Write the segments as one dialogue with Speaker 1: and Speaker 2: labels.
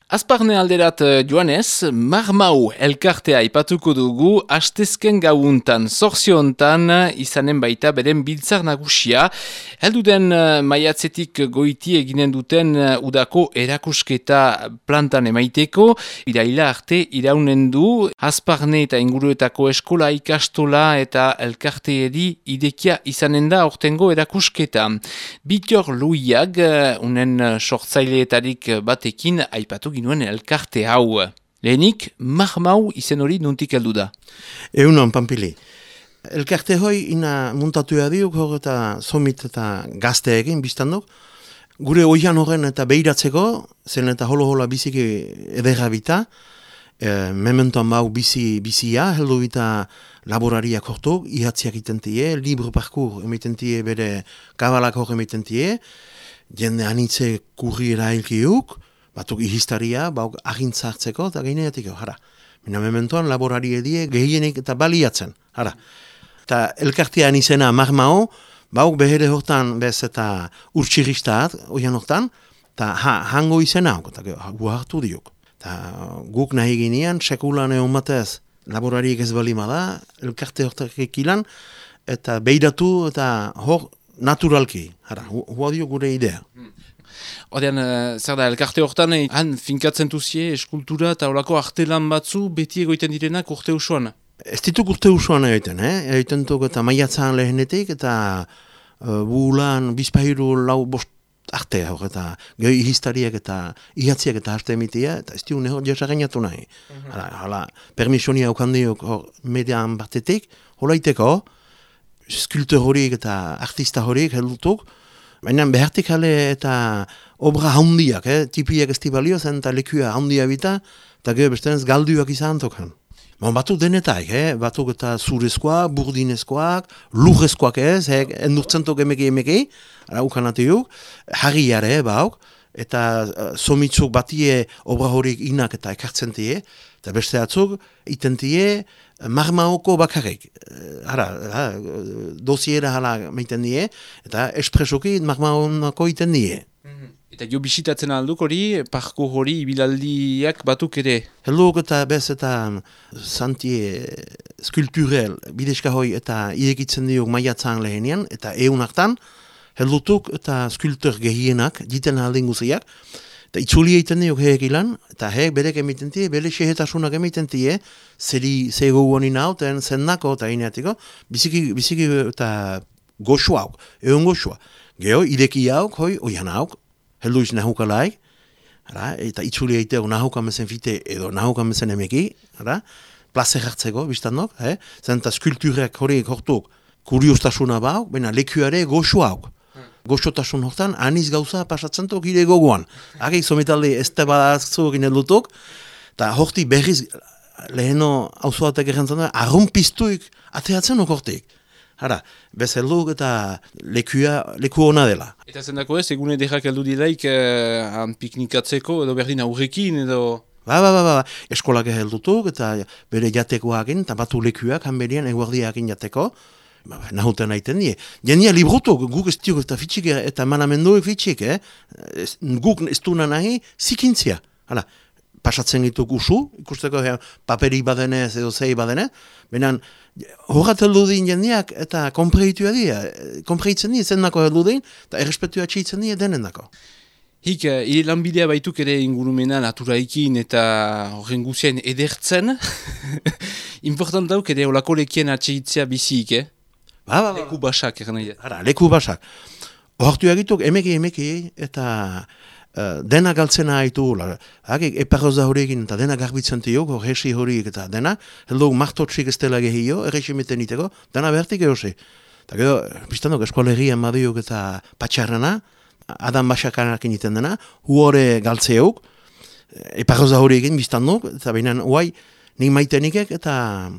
Speaker 1: Azparne alderat joanez, Marmau elkartea aipatuko dugu astezken gauuntan, zorziontan izanen baita beren biltzar nagusia. Helduden maiatzetik goiti eginen duten udako erakusketa plantan emaiteko, iraila arte iraunen du, Azparne eta inguruetako eskola ikastola eta elkarteeri idekia izanen da ortengo erakusketa. Bitor Luiak, unen sortzaileetarik batekin aipatu nuen elkarte hau. Lehenik, Marmau izen hori nuntik heldu da.
Speaker 2: Eunon, Pampili. Elkarte hoi ina muntatuea diuk hor eta somit eta gazte egin biztanduk. Gure oian horren eta behiratzeko, zen eta holo-hola biziki edera bita, mementoan bau bizia, heldu bita laborariak hortuk, ihatziak itentie, libre parkour emitentie, bere kabalak hor emitentie, jende anitze kurri erailkiuk, batuk ihistaria, bauk agintzartzeko eta gaineatiko, hara. Mina mementoan laborari edie gehienik eta baliatzen, hara. Eta elkartean izena Marmau, bauk behere hortan bez eta urtsiristaat, oian hortan, eta hango izena hau, eta gu hartu diuk. Eta guk nahi ginean, sekulan egon batez, laborariek ez balima da, elkarte hortak ekilan, eta beiratu eta hor naturalki, hara, hua dio gure idea.
Speaker 1: Odean, zer da, elkarte hortan, han finkatzen duzie eskultura eta horako artelan batzu beti egoiten direnak urte usuan?
Speaker 2: Ez dituk urte usuan egiten, egiten duk eta maiatzaan lehenetik, eta bulan, bizpahiru, lau, bost arte hor, eta gehi histariak eta ihatziak eta arte emitia, eta ez diun hor jasagainatu nahi. Hala, permisionia aukandiok hor median batetik, holaiteko, skulptor horiek eta artista horiek heldutuk, baina behartik jale eta obra handiak, tipiak ez balio zen eta lekua handia bita, eta gero bestenez galduak izan tokan. Batuk denetak, batuk eta zurezkoak, burdinezkoak, lurrezkoak ez, endurtzentok emeki, ukanatiuk, harriare bauk, eta somitzuk batie obra horiek inak eta ekartzen tie, eta beste atzuk itentie Marmaoko bakarrik. Dosiera hala meiten die, eta espresoki Marmaoko iten die.
Speaker 1: Eta jo bisitatzen alduk hori, parko hori, ibilaldiak batuk ere?
Speaker 2: Helduk eta bez eta santie skulpturel, bideska hoi eta irekitzen diok maiatzaan lehenian, eta eun hartan, heldutuk eta skulptor gehienak, diten aldin guziak, eta itzuli egiten diok heek ilan, eta heek berek emiten tie, bere sehetasunak emiten tie, ze gogonin hau, ten zendako eta ineatiko, biziki eta goxu hauk, egon goxua. Geho, ideki hauk, hoi, oian hauk, heldu iz nahukalaik, eta itzuli egiteko nahukamezen fite edo nahukamezen emeki, plazer hartzeko, biztandok, zenta skulpturek horiek hortuk kuriostasuna bauk, baina lekuare goxu hauk. Goxotasun hortan, aniz gauza pasatzen tok ire gogoan. Hagik somitalde ez da badazuk inelutuk, eta horti berriz leheno hauzoatek errentzen da, arrunpiztuik ateatzen hortik. Hara, bezelduk eta leku hona dela.
Speaker 1: Eta zendako ez, egun edekak heldu dilaik piknikatzeko edo berdin aurrekin edo...
Speaker 2: Ba, eskolak heldutuk eta bere jatekoakin, eta batu lekuak hanberian eguardiakin jateko, nahuten aiten die. Jenia librutuk, guk ez diuk eta fitxik eta manamenduek fitxik, guk ez duna nahi zikintzia. Hala, pasatzen gituk usu, ikusteko paperik badenez edo zei badenez, benen horret heldu din jendiak eta konpreitua dira, konpreitzen dira zendako heldu din, eta errespetua txitzen dira denendako.
Speaker 1: Hik, lanbidea baituk ere ingurumena naturaikin eta horren guzien edertzen, important dauk ere olako lekien atxeitzea bizik, Leku basak,
Speaker 2: leku basak. Hortu egituk emeki eta dena galtzena haitu, eparroza horiekin eta dena garbitzen tiok, hesi horiek eta dena, heldu martotxik ez dela gehio, erresimeten iteko, dena behartik egosi. Eta gero, biztanok eskolegian madiok eta patxarrana, adan basakanakin iten dena, huore galtzeok, eparroza horiekin biztanok, eta behinan, huai, nik maitenikek eta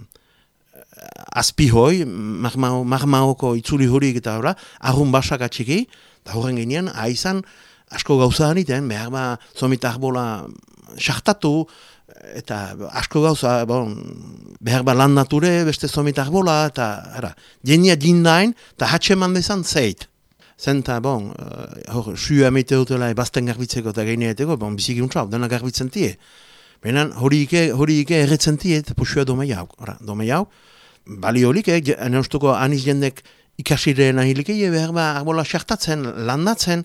Speaker 2: azpihoi, Marmaoko itzuli horiek eta horra, arrun basak atxiki, eta horren ginean, aizan, asko gauza haniten, behar ba, zomit arbola sartatu, eta asko gauza, behar ba lan nature, beste zomitak bola, eta jenia jindain, eta hatxe eman dezan zeit. Zenta, hor, sua emite dutela bazten garbitzeko eta gaineeteko, biziki untrau, dena garbitzen tie. Benan, hori ike erretzen tie, eta pusua domei hau. Bali horik, neustuko aniz jendek ikasireen ahilikei, behar ba, arbola sartatzen, landatzen,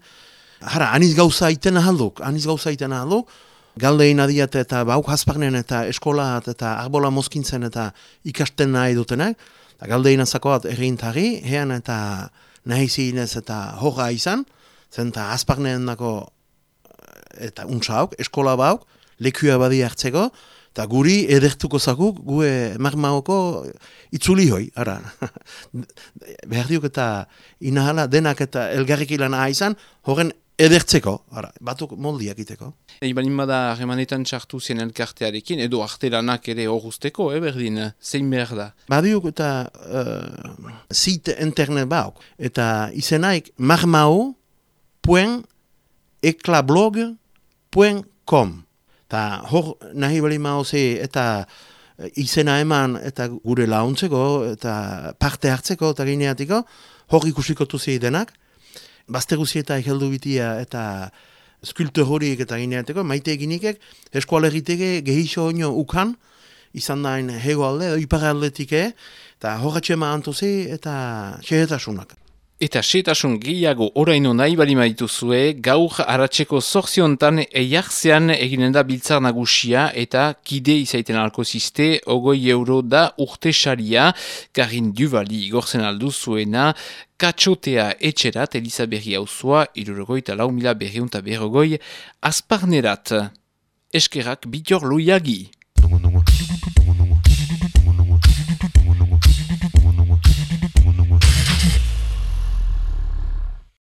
Speaker 2: aniz gauza iten ahalduk, galdein adiat eta bauk hasparnen eta eskolat eta arbola mozkintzen eta ikasten nahi dutenak, eta galdein azakoat errintari, hean eta nahi zinez eta horra izan, zen eta hasparnen dako eta untsauk, eskola bauk, lekua badi hartzeko, eta guri edertuko zakuk, gue marmaoko itzuli hoi, behar diuk eta inahala denak eta elgarrik ilan izan, horren edertzeko, batuk moldiak iteko.
Speaker 1: Balin bada harremanetan txartu zen elkartearekin, edo artelanak ere horruzteko, berdin, zein behar da?
Speaker 2: Badiuk eta site internet bauk, eta izenaik marmao.eclablog.com. Eta hor nahi bali mauze eta izena eman eta gure launtzeko eta parte hartzeko eta gineatiko, hor ikusikotu denak. Bazte guzieta egeldu bitia eta skulptor horiek eta gineateko, maite eginikek, eskualegiteke gehiso oino ukan, izan dain hego alde, ipar aldetike, eta horretxema antozi eta xehetasunak.
Speaker 1: Eta xetasun gehiago oraino nahi bali maituzue, gaur aratzeko zorziontan eiartzean eginen da biltzar nagusia eta kide izaiten alko ziste, €20 da urte saria, Karin Duvali igortzen aldu zuena, katxotea etxerat, Elizaberri hauzua, 64.200 asparnerat. Eskerak Bitor Loiagi.